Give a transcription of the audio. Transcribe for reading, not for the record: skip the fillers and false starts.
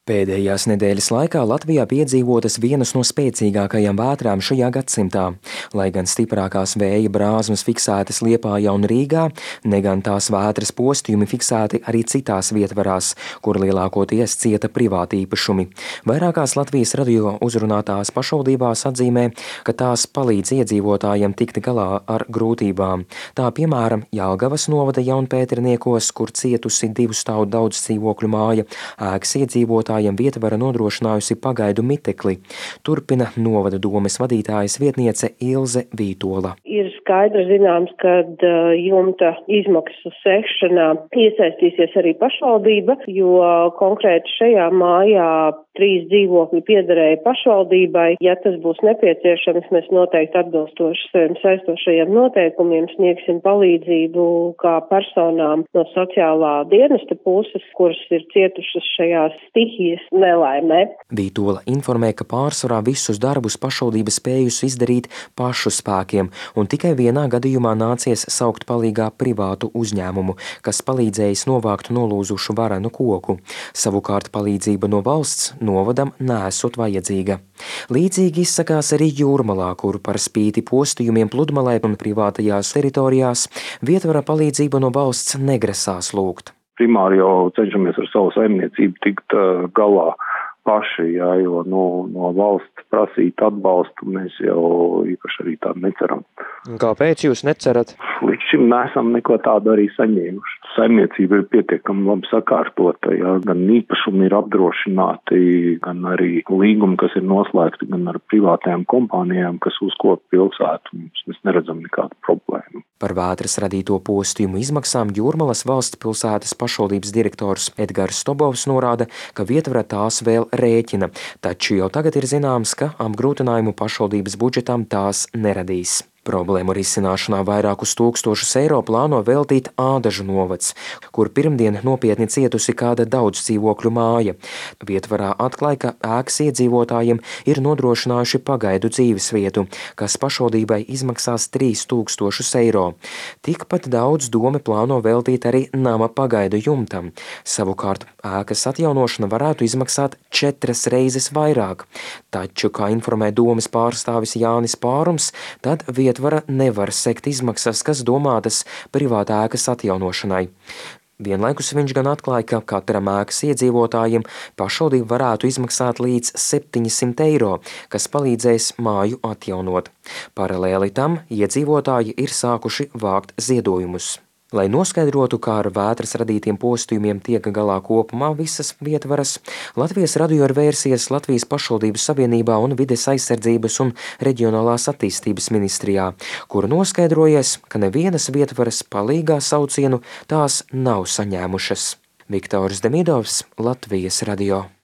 Pēdējās nedēļas laikā Latvijā piedzīvotas vienas no spēcīgākajām vētrām šajā gadsimtā. Lai gan stiprākās vēja brāzmas fiksētas Liepājā un Rīgā, ne gan tās vētras postījumi fiksēti arī citās vietvarās, kur lielākoties cieta privāti īpašumi. Vairākās Latvijas radio uzrunātās pašvaldībās atzīmē, ka tās palīdz iedzīvotājiem tikt galā ar grūtībām. Tā piemēram Jelgavas novada Jaunpēterniekos, kur cietusi 2 stāvu daudz dzīvokļu māja, ēkas iedzīvotāji vietvara nodrošinājusi pagaidu mitekli. Turpina novada domes vadītājas vietniece Ilze Vītola. Ir skaidri zināms, ka jumta izmaksu sekšanā iesaistīsies arī pašvaldība, jo konkrēti šajā mājā 3 dzīvokļi piederēja pašvaldībai. Ja tas būs nepieciešams, mēs noteikti atbilstoši saviem saistošajiem noteikumiem sniegsim palīdzību kā personām no sociālā dienesta puses, kuras ir cietušas šajās stihijas nelaimē. Vītola informē, ka pārsvarā visus darbus pašvaldība spējusi izdarīt pašu spēkiem, un tikai vienā gadījumā nācies saukt palīgā privātu uzņēmumu, kas palīdzējis novākt nolūzušu varenu koku. Savukārt palīdzība no valsts novadam nesot vajadzīga. Līdzīgi izsakās arī Jūrmalā, kur par spīti postījumiem pludmalē un privātajās teritorijās vietvara palīdzību no valsts negrasās lūgt. Primāri jau cenšamies ar savu saimniecību tikt galā paši, jo no valsts prasīt atbalstu mēs jau īpaši arī tādu neceram. Kāpēc jūs necerat? Līdz šim neesam neko tādu arī saņēmuši. Saimniecība ir pietiekami labi sakārtota, gan īpašumi ir apdrošināti, gan arī līgumi, kas ir noslēgti, gan ar privātajām kompānijām, kas uzkopja pilsētu. Mēs neredzam nekādu problēmu. Par vētras radīto postījumu izmaksām Jūrmalas valsts pilsētas pašvaldības direktors Edgars Stobovs norāda, ka vietvara tās vēl rēķina, taču jau tagad ir zināms, ka apgrūtinājumu pašvaldības budžetam tās neradīs. Problēmu risināšanā vairākus tūkstošus eiro plāno veltīt Ādažu novads, kur pirmdien nopietni cietusi kāda daudz dzīvokļu māja. Vietvarā atklāja, ka ēkas iedzīvotājiem ir nodrošinājuši pagaidu dzīvesvietu, kas pašvaldībai izmaksās 3000 eiro. Tikpat daudz dome plāno veltīt arī nama pagaidu jumtam. Savukārt ēkas atjaunošana varētu izmaksāt 4 reizes vairāk. Taču, kā informē domes pārstāvis Jānis Pārums, tad vietvara nevar sekt izmaksas, kas domātas privātā ēkas atjaunošanai. Vienlaikus viņš gan atklāja, ka katram ēkas iedzīvotājiem pašvaldība varētu izmaksāt līdz 700 eiro, kas palīdzēs māju atjaunot. Paralēli tam iedzīvotāji ir sākuši vākt ziedojumus. Lai noskaidrotu, kā ar vētras radītiem postījumiem tiek galā kopumā visas vietvaras, Latvijas radio ir vērsies Latvijas pašvaldības savienībā un Vides aizsardzības un reģionālās attīstības ministrijā, kur noskaidrojies, ka nevienas vietvaras palīgā saucienu tās nav saņēmušas. Viktors Demidovs, Latvijas radio.